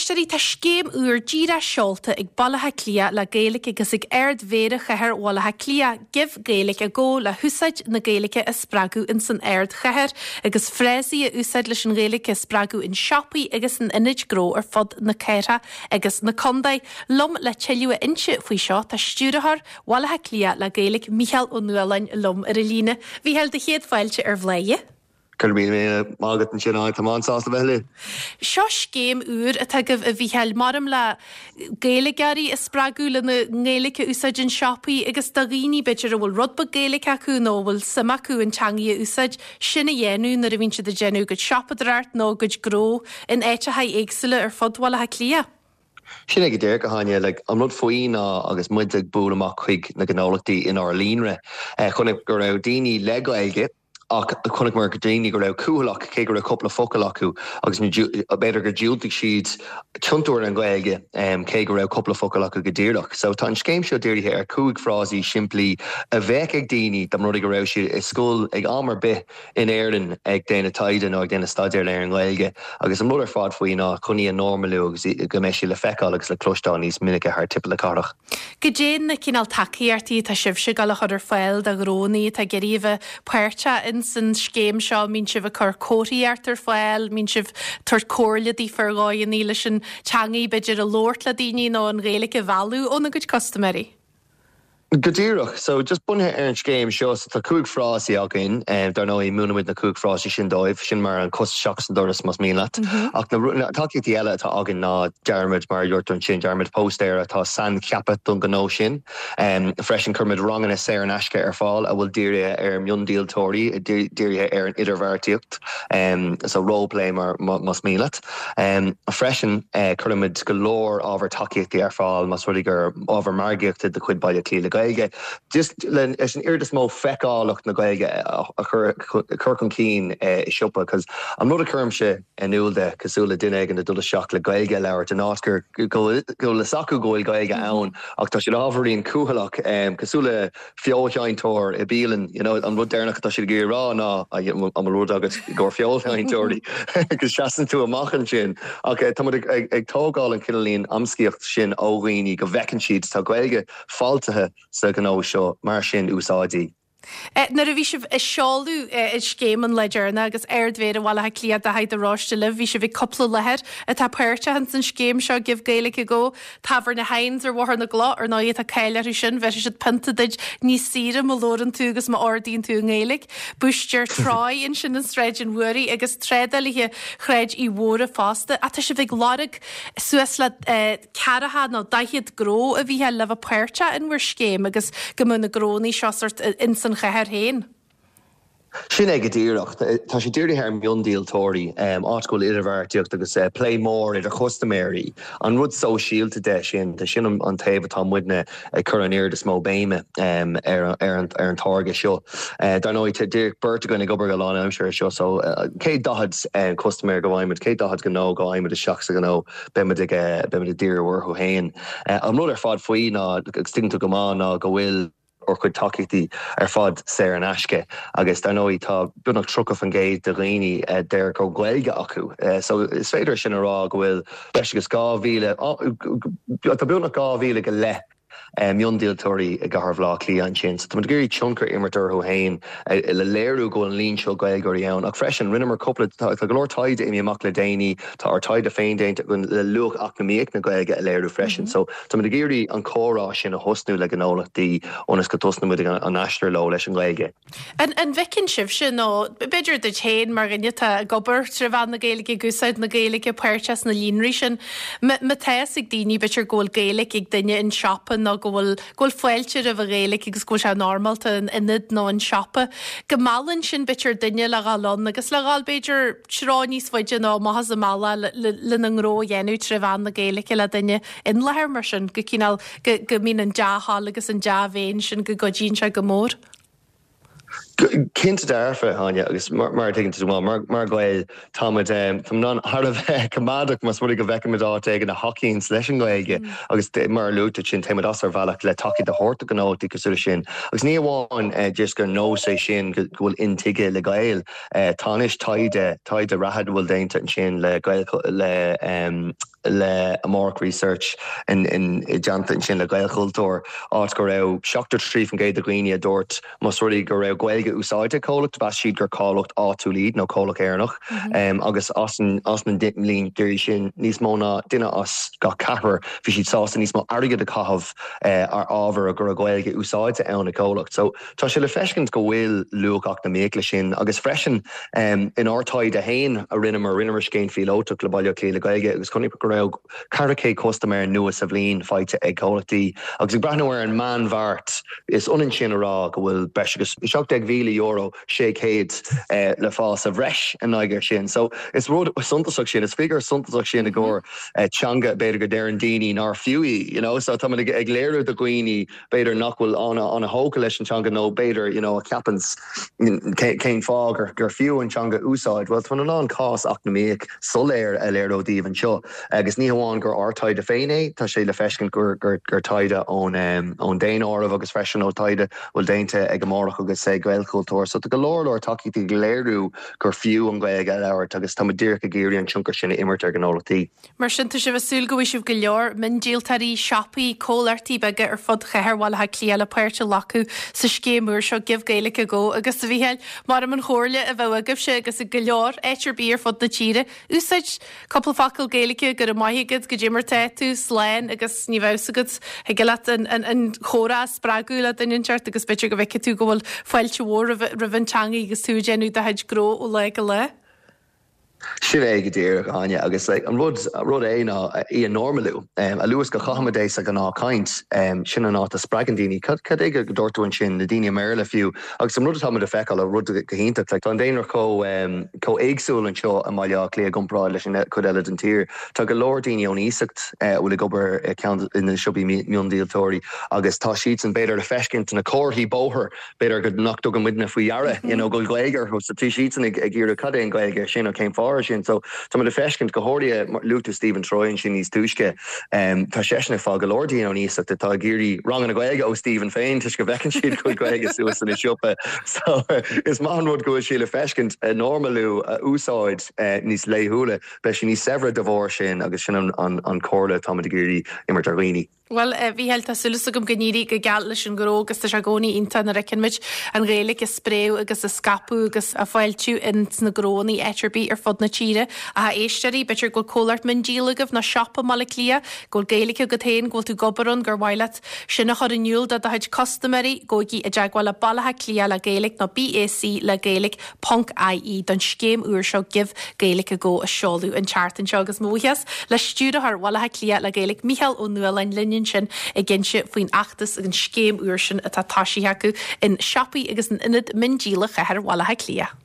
éisteoirí, tá scéim úr díreach seolta ag Baile Átha Cliath le Gaeilge agus ag Ard-Mhéara Chathair Bhaile Átha Cliath, Give Gaeilge a Go, le húsáid na Gaeilge a spreagadh ins an ardchathair agus frásaí a úsáid leis an Ghaeilge a spreagadh in siopaí agus in ionaid gnó ar fud na cathrach agus na contae. Liom le tuilleadh a inse faoi seo tá Stiúrthóir Bhaile Átha Cliath le Gaeilge, Mícheál Ó Nualláin liom ar an líne. Mhícheáil, do chéad fáilte ar Bhláth. Go raibh míle maith agat ansin, tá mé an-sásta bheith libh. Seo scéim úr atá agaibh, a Mhícheáil, maram le Gaeilgeoirí a spreagadh lena nGaeilge a úsáid in siopaí agus do dhaoine, b'fhéidir, a bhfuil rud beag Gaeilge acu nó a bhfuil suim acu an teangaidh a úsáid, sin a dhéanamh nuair a bhíonn siad ag déanamh a gcuid siopadóireacht nó a gcuid gnó in áiteacha éagsúla ar fud Bhaile Átha Cliath. Sin é go díreach, a Áine. Like, an rud faoi ná agus muid ag bualadh amach chuig na gnólachtaí inár líonra, chonaic go raibh daoine le Gaeilge ach chonaiceamar daoine go raibh cúthaileach cé go raibh cúpla focal acu agus b'fhéidir gur diúltaigh siad tiontú ar an Ghaeilge cé go raibh cúpla focal acu go díreach. So tá an scéim seo dírithe ar chúig frásaí simplí a bheadh ag daoine dá mba rud é go raibh siad i scoil ag am ar bith in Éirinn ag déanamh taighde nó ag déanamh staidéir ar an nGaeilge agus an rud ar fad faoi ná chun í a normalú agus go mbeidh sí le feiceáil agus le cloisteáil níos minice thar timpeall na cathrach. Goidé na cineál tacaíochtaí atá sibhse ag dul a chur ar fáil do ghnónnaí atá ag iarraidh a bheith páirteach ins an scéim seo? Mbíonn sibh ag cur comharthaíocht ar fáil? Mbíonn sibh ag tabhairt comhairle daofa ar dhóigheannaí leis an teangaidh b'fhéidir a labhairt le daoine nó an Ghaeilge a mhealladh óna gcuid custaiméirí? Go díreach. So, just bunaithe ar an scéim seo, so tá cúig frásaí againn. Dar ndóigh, múinimid na cúig frásaí sin dóibh. Sin mar an cos isteach san doras, más mian leat. Ach na tacaíochtaí eile atá againn ná dearaimid, mar a dúirt tú ansin, dearaimid póstaeir atá saincheaptha don ghnó sin. Freisin, cuirimid ranganna saor in aisce ar fáil a bhfuil dírithe ar mhiondíoltóirí, dírithe ar an idirbheartaíocht, so role play mar, más mian leat. Freisin, cuirimid go leor ábhar tacaíochtaí ar fáil más rud é gur ábhar margaíochta de chuid Baile Átha Cliath le Gaeilge, just leis an oiread is mó feiceálacht na Gaeilge a chur chun cinn i siopa. Cos an rud a chuirimse in iúl de, cosúil le duine éigin ag dul isteach le Gaeilge a labhairt in áit gur go bhfuil fhios acu go bhfuil Gaeilge ann ach tá siad ábhairín cúthaileach, cosúil le feoilseinnteoir i bialann, you know, an rud deireanach atá siad ag iarraidh rá ná an bhfuil rud agat i gcomhair feoilseinnteoirí agus seasann tú amach ansin. Ach tá muid ag tógáil an cineáilín amscaíocht sin ó dhaoine go bhfeiceann siad tá Gaeilge fáiltithe sa ghnó seo, mar sin úsáid í. Nuair a bhí sibh ag seoladh an scéim an lá deireanach agus Ard-Mhéara Bhaile Átha Cliath Daithí de Róiste libh, bhí sibh ag cúpla láthair atá páirteach ins an scéim seo Give Gaeilge a Go. Tábhairne Hynes ar Bhóthar na gCloch, ar ndóigh, tá cáil orthu sin, bhéarfaidh siad pionta duit níos saoire má labhrann tú agus má ordaíonn tú i nGaeilge. Búistéir Troy ansin in Sráid an Mhúraigh agus trádálaithe Shráid Uí Mhórdha fosta. Ach tá sibh ag lorg suas le ceathracha nó 40 gnó a Mhícheáil le bheith páirteach in bhur scéim agus go mbeadh na gnónnaí seo sort ins an chathair féin. Sin é go díreach. Tá sé dírithe ar mhiondíoltóirí, áit go bhfuil idirbheartaíocht agus plé mór idir chustaiméirí. An rud sóisialta de sin, sin an taobh atá muidne ag cur an oiread is mó béime ar an táirge seo. Dar ndóigh, tá díreach beirt againn ag obair go lánaimseartha air seo, so céad 40 custaiméir go bhfaighimid, céad 40 gnó go bhfaighimid isteach sa ghnó, beimid ag beimid ag díriú orthu féin. An rud ar fad faoi ná, agus tuigeann tú go maith, ná go bhfuil, ár gcuid tacaíochtaí ar fad saor in aisce agus dar ndóigh tá beagnach 30% de dhaoine a deir go bhfuil Gaeilge acu so is féidir sin a rá go bhfuil breis agus 2,000, tá beagnach 2,000 go leith miondíoltóirí i gcathair Bhaile Átha Cliath ansin so táimid ag iarraidh tionchar a imirt orthu féin le léiriú go bhfuil an líon seo Gaeilgeoirí ann ach freisin rinneamar cúpla, tá go leor taighde imithe amach le déanaí, tá ár taighde féin déanta againn le luach eacnamaíoch na Gaeilge a léiriú freisin so Táimid ag iarraidh an comhrá sin a thosnú le gnólachtaí ionas go dtosnaímid an aistear leo leis an nGaeilge. An bhfeiceann sibhse, nó b'fhéidir duit féin mar dhuine atá ag obair tré mheán na Gaeilge, ag úsáid na Gaeilge, páirteach sna líonraí sin, má tá fhios ag daoine b'fhéidir go bhfuil Gaeilge ag duine in siopa nó go bhfuil go bhfuil fáilte roimh an Ghaeilge agus go bhfuil sé normálta in ionad nó in siopa, go meallann sin b'fhéidir duine le dhul ann agus le dhul b'fhéidir treo níos faide nó amach as an mbealach lena ngnó a dhéanamh tré mheán na Gaeilge le duine in láthair mar sin, go cineál, go, go mbíonn an dea-thoil agus an dea-mhéin sin, go gcuidíonn sé go mór. Cinnte dearfa, Áine, agus mar a tuigeann tú go maith, mar Ghaeil, táimid táimid thar a bheith coimeádach más rud é go bhfeicimid áit éigin a thacaíonns leis an nGaeilge agus mar a luaigh tú ansin, téimid as ár bhealach le tacaíocht a thabhairt do ghnólachtaí cosúil leis sin. Agus ní amháin just gur nós é sin go bhfuil intuigthe le Gaeil, tá anois taighde, taighde reatha a bhfuil déanta ansin le Gael, le. le Amárach Research i dteannta ansin le Gaelchultúr, áit go raibh 73% de dhaoine a dúirt más rud é go raibh Gaeilge úsáidte ag comhlacht, mheas siad gur comhlacht áitiúil iad nó comhlacht Éireannach agus as na líonraí sin níos mó ná duine as gach ceathrar bhí siad sásta níos mó airgid a chaitheamh ar ábhar go raibh Gaeilge úsáidte ann ag comhlacht. So tá sé le feiscint go bhfuil luach eacnamaíoch leis sin agus freisin inár taighde féin a rinneamar, rinneamar scéim phíolótach le Baile Átha Cliath le Gaeilge agus chonaic go raibh 400 custaiméir nua sa bhliain faighte ag comhlachtaí agus ag breathnú ar an meánbheart is ionann sin a rá go bhfuil breis agus €17,000 600 le fáil sa bhreis in aghaidh ar sin. So is rud suntasach sin, is figiúr suntasach sin i gcomhair teanga b'fhéidir go deireann daoine nár fiú í, you know. So táimid ag léiriú do dhaoine b'fhéidir nach bhfuil an-thógtha leis an teanga nó b'fhéidir you know a cheapanns cén fáth gur gur fiú an teanga a úsáid. Bhuel tá in ann cás eacnamaíoch soiléir a léiriú daoibh anseo agus ní hamháin gur ár taighde féin é, tá sé le feiscint gur gur gur taighde ón ón daonáireamh agus freisin ó taighde a bhfuil déanta ag Amárach agus ag Gaelchultúr. So tá go leor leor tacaíochtaí ag léiriú gur fiú an Ghaeilge a labhairt agus tá muid díreach ag iarraidh an tionchar sin a imirt ar ghnólachtaí. Mar sin, tá sibh ag súil go bhfaighidh sibh go leor miondíoltóirí, siopaí, comhlachtaí beaga ar fud chathair Bhaile Átha Cliath le páirt a ghlacadh sa scéim úr seo Give Gaeilge a Go. Agus, a Mhícheáil, maram an chomhairle a bheadh agaibhse agus ag go leor áit ar bith ar fud na tíre, úsáid cúpla focal Gaeilge, go raibh maith agat, goidé mar tá tú, slán agus ní bheadh fhios agat, thig leat an chomhrá a spreagadh le duine inteacht agus b'fhéidir go bhfeicfidh tú go bhfuil fáilte mhór roimh an teanga agus tú ag déanamh do chuid gnó ó lá go lá. Sin é go díreach, Áine, agus like an rud, rud é ná í a normalú. A luaithe is go chaithimid é sa ghnáthchaint, sin an áit a spreagann daoine. Cad, cad é go dúirt tú ansin, na daoine i mBéarla fiú. Agus an rud atá muid a feiceáil, an rud go hiontach, like tá an daonra chomh, chomh éagsúil anseo i mBaile Átha Cliath i gcomparáid leis an chuid eile den tír. Tá go leor daoine ón iasacht a bhfuil ag obair i ceann de na siopaí miondíoltóirí agus tá siadsan b'fhéidir le feiscint na comharthaí bóthair b'fhéidir go nach dtugann muidne faoi deara you know go bhfuil Gaeilge orthu so tá siadsan ag ag iarraidh cad é an Ghaeilge sin nó cén fáth sin so tá muid ag feiscint go háirithe luaigh tú Stephen Troy ansin níos túisce um, tá seisean ag fáil go leor daoine ón iasacht atá ag iarraidh ranganna Gaeilge ó Stephen féin toisc go bhfeiceann siad go bhfuil Gaeilge suas ina siopa so is maith an rud go bhfuil sé le feiscint a normalú a úsáid uh, níos laethúla beidh sé níos saibhre de bharr sin agus sin an, an, an comhairle atá muid ag iarraidh imirt ar dhaoine. Bhuel, a Mhícheáil, tá súil agam go n-éirí go geal leis an ghnó agus tá sé i gcónaí iontach nuair a fheiceann muid an Ghaeilge ag spréadh agus ag scaipeadh agus á fáiltiú ins na gnóanna áit ar bith ar fud na tíre. Ach a éisteoirí, b'fhéidir go bhfuil comhlacht miondíola agaibh nó siopa i mBaile Átha Cliath, go bhfuil Gaeilge agat féin, go bhfuil tú ag obair ann, gur mhaith leat sin a chur in iúl do do chuid custaiméirí, gabhaigí i dteagmháil le Baile Átha Cliath le Gaeilge nó BAC le Gaeilge. Ponc IE don scéim úr seo Give Gaeilge a Go a seoladh an tseachtain seo agus mo bhuíochas le Stiúrthóir Bhaile Átha Cliath le Gaeilge Mícheál Ó Nualláin linn ansin ag inse faoin fheachtas agus an scéim úr sin atá toisithe acu in siopaí agus in ionaid miondíola chathair Bhaile Átha Cliath.